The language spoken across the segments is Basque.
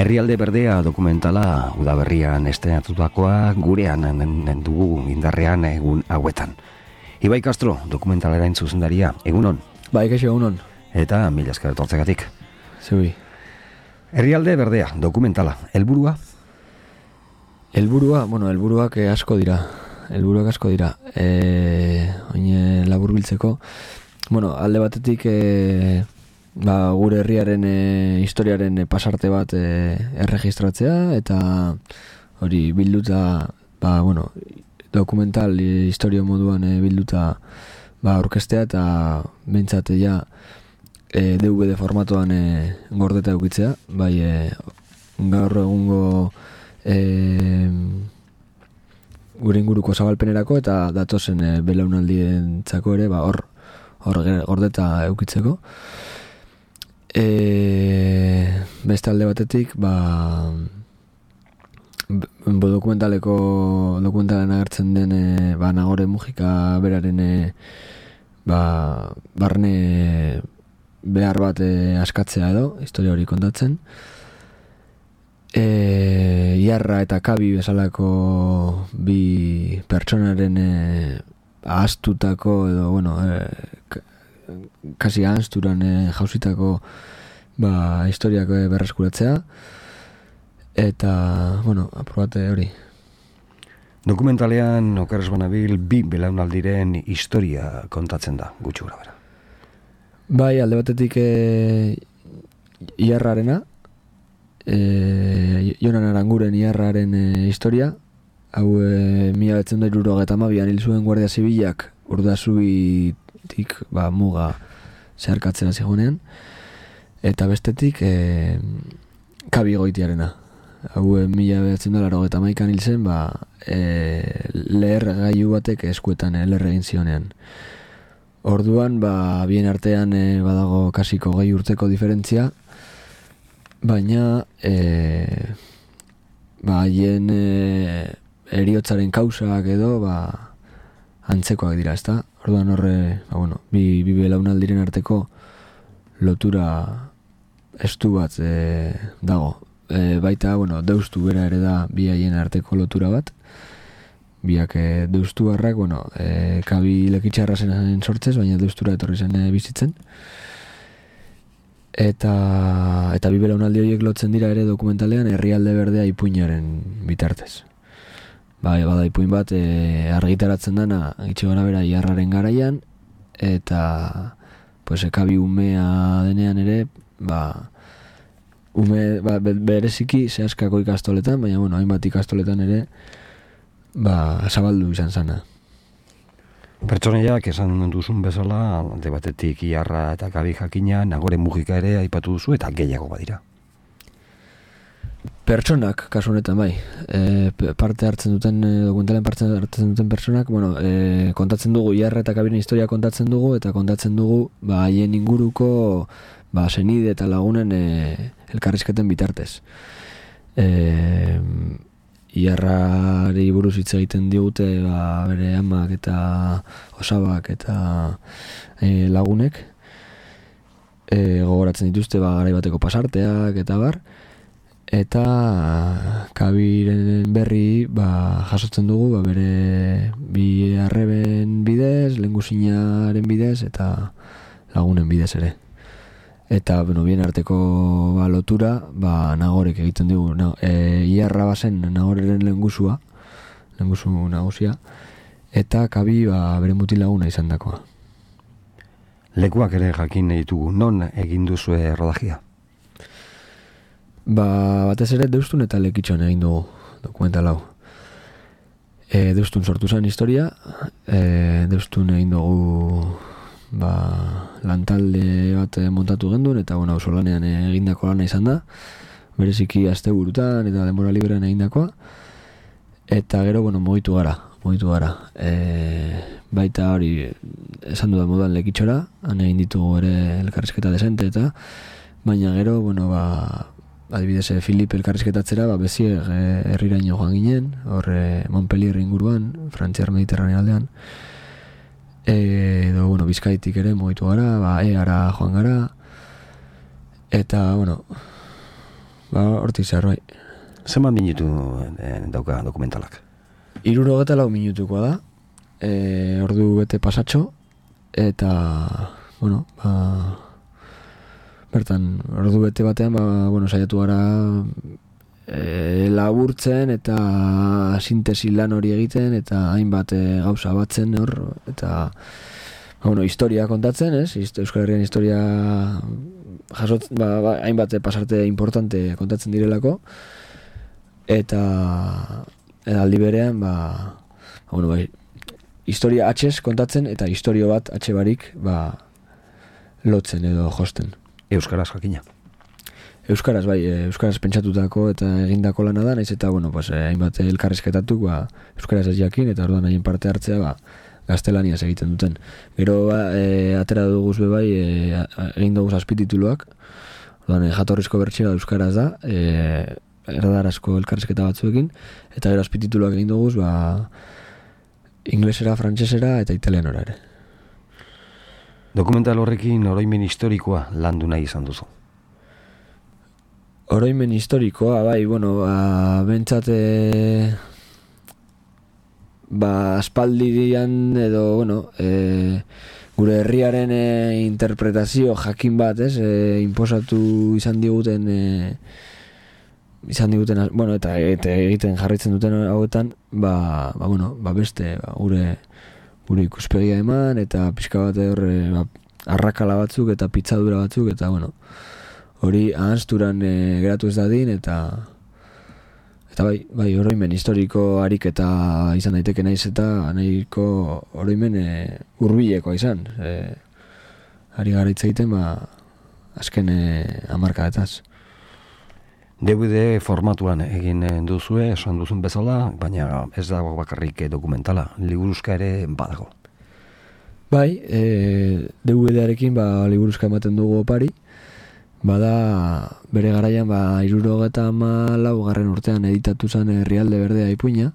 Herrialde berdea dokumentala udaberrian estrenatutakoa gurean dugu indarrean egun hauetan. Ibai Castro dokumentalaren zuzendaria, egunon? Bai, kaixo, egunon. Eta mila esker etortzegatik. Zui. Herrialde berdea dokumentala, helburua? Helburuak asko dira. Oin laburbiltzeko. Alde batetik gure herriaren historiaren pasarte bat erregistratzea eta hori bilduta dokumental historia moduan bilduta aurkeztea eta behintzat DVD formatoan gordeta eukitzea, gaur egungo gure inguruko zabalpenerako eta datozen belaunaldientzako ere hor gordeta eukitzeko. Beste alde batetik dokumentalen agertzen den Nagore Mujika beraren barne behar bat askatzea edo historia hori kontatzen. Iarra eta Kabi bezalako bi pertsonaren ahaztutako edo kasi ahazturan jausitako historiak berreskuratzea eta aprobate hori. Dokumentalean okeres banabil bi belaunaldiren historia kontatzen da, gutxi gora bera. Bai, alde batetik Iarrarena, Jonan Aranguren Iarraren historia, hau 1972an hil zuen Guardia Zibilak Urdaizubitik muga zeharkatzera zigonean, eta bestetik Kabi Goitiarena, hau 1981an hil zen leher gailu batek eskuetan leher egin zionean. Orduan, bien artean badago kasiko 20 urteko diferentzia, baina haien heriotzaren kausak edo antzekoak dira, ezta? Orduan horre, bi belaunaldiren arteko lotura estu bat dago. Baita, deustu bera ere da bi haien arteko lotura bat. Biak deustu harrak, Kabi lekitxarra zen sortzez, baina deustura etorri zen bizitzen. Eta bi belaunaldi horiek lotzen dira ere dokumentalean herrialde berdea ipuinaren bitartez. Bada ipuin bat argitaratzen dana gitxe gara bera Iarraren garaian, eta Kabi umea denean ere, bereziki zehaskako ikastoletan, baina hainbat ikastoletan ere zabaldu izan zana. Pertsonaiak esan duzun bezala, alde batetik Iarra eta Kabi jakina, Nagore Mujika ere aipatu duzu eta gehiago badira. Pertsonak, kasu honetan parte hartzen duten, dokumentalen parte hartzen duten pertsonak, kontatzen dugu Iarra eta Kabiren historia kontatzen dugu, eta kontatzen dugu haien inguruko senide eta lagunen elkarrizketen bitartez. Iarrari buruz hitz egiten digute bere amak eta osabak eta lagunek gogoratzen dituzte garai bateko pasarteak eta bar, eta Kabiren berri jasotzen dugu bere bi arreben bidez, lehengusinaren bidez eta lagunen bidez ere. Eta, bien arteko lotura, Nagorek egiten dugu. Iarra bazen Nagoreren lehengusu nagusia, eta Kabi bere mutil laguna izan dakoa. Lekuak ere jakin nahi ditugu, non egin duzue rodajia? Batez ere Deustun eta Lekitxon egin dugu dokumental hau. Deustun sortu zen historia, Deustun egin dugu lantalde bat montatu genduen, eta auzolanean egindako lana izan da, bereziki asteburutan eta denbora librean egindakoa, eta gero mugitu gara. Baita hori esan dudan moduan Lekitxora, han egin ditugu ere elkarrizketa desente eta, baina gero adibidez Filip elkarrizketatzera Bezier herriraino joan ginen, hor Montpellier inguruan, Frantziar Mediterranea aldean, edo Bizkaitik ere mugitu gara, Eara joan gara, eta hortik zehar, bai. Zenbat minutu dauka dokumentalak? 64 minutukoa da, ordu bete pasatxo, eta, bueno, bertan, ordu bete batean, saiatu gara laburtzen eta sintesi lan hori egiten, eta hainbat gauza batzen hor, eta historia kontatzen, Euskal Herrian historia jasotzen, hainbat pasarte importante kontatzen direlako, eta aldi berean, historia atxez kontatzen, eta historio bat atxe barik, lotzen edo josten. Euskaraz jakina? Euskaraz, bai, euskaraz pentsatutako eta egindako lana da, naiz eta, hainbat elkarrizketatuk, euskaraz ez jakin, eta orduan haien parte hartzea, gaztelaniaz egiten duten. Gero, atera duguz bai, egin duguz azpitituluak, orduan, jatorrizko bertxera euskaraz da, erdarazko elkarrizketa batzuekin, eta gero azpitituluak egin duguz, inglesera, frantsesera eta italianora ere. Dokumental horrekin oroimen historikoa landu nahi izan duzu? Oroimen historikoa, bai, bentsat aspaldian edo, gure herriaren interpretazio jakin bat, inposatu izan diguten eta egiten jarraitzen duten hauetan, beste, gure ikuspegia eman, eta pixka bat arrakala batzuk eta pitzadura batzuk, eta hori ahazturan geratu ez dadin, eta bai, oroimen historiko harik eta izan daiteke naiz, eta nahiko oroimen hurbilekoa izan. Ari gara hitz egiten, azken hamarkadetaz. DVD formatuan egin duzue, esan duzun bezala, baina ez dago bakarrik dokumentala, liburuzka ere badago. Bai, DVD-arekin liburuzka ematen dugu opari, bada bere garaian 74. Urtean editatu zen Herrialde Berdea Ipuina.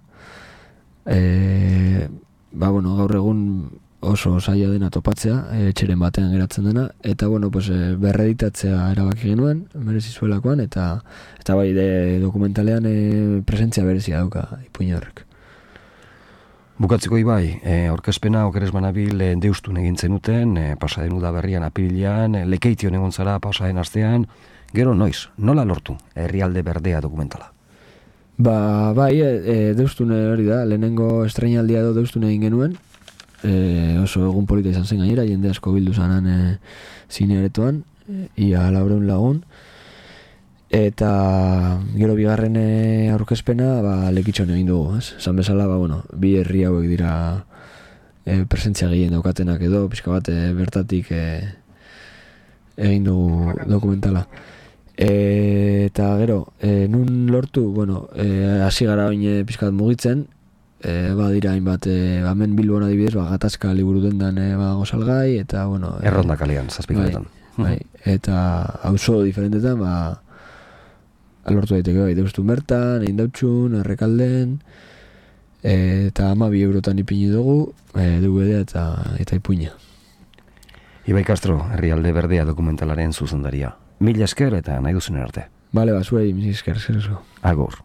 Gaur egun oso zaila dena topatzea, etxeren batean geratzen dena, eta berreditatzea erabaki genuen, merezi zuelakoan, eta bai, dokumentalean presentzia berezia dauka ipuina horrek. Bukatzeko Ibai, aurkezpena okeres banabil deustun egin zenuten, pasaden Udaberrian apirilean, Lekeition egon zara pasaden astean, gero noiz, nola lortu Herrialde Berdea dokumentala? Bai, deustun hori da, lehenengo estreinaldia edo deustun egin genuen, oso egun polita izan zen gainera, jende asko bildu zanan zine aretoan, ia 400 lagun, eta gero bigarren aurkezpena Lekitxon egin dugu, esan bezala, bi herri hauek dira presentzia gehien daukatenak edo, pixka bat bertatik egin dugu dokumentala. Eta gero, nun lortu, hasi gara oin pixka bat mugitzen, dira hainbat, hemen Bilbon adibidez, gatazka liburu dendan gozalgai, eta Erronda kalean, zazpikaretan. Bai, eta auzo diferentetan, lortu daiteke, deustun bertan, Eindautxun, Errekalden, eta 12 eurotan ipini dugu, DVD eta ipuina. Ibai Castro, Herrialde Berdea dokumentalaren zuzendaria. Mila esker eta nahi duzun arte. Bale, zuei, mila esker, zer. Agur.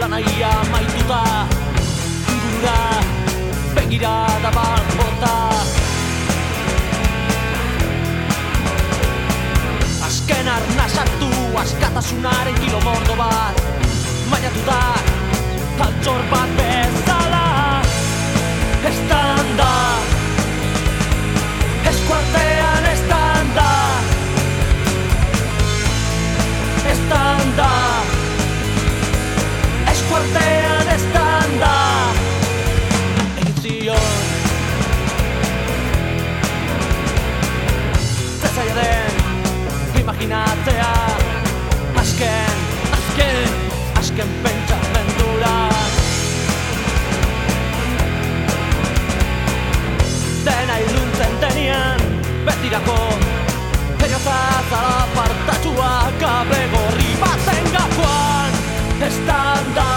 Lanaia maituta, ingurura, begirada bat bota. Azken arna sartu, askatasunaren kilomordo bat, mailatu da, altxor bat bezala. Estanda, eskuartean estanda, estanda. Eskuartean estanda egin zion zezaila den imaginatzea azken pentsamendura dena iluntzen denean betirako heriotza zara Zuak gabe gorri baten gakoan. Estanda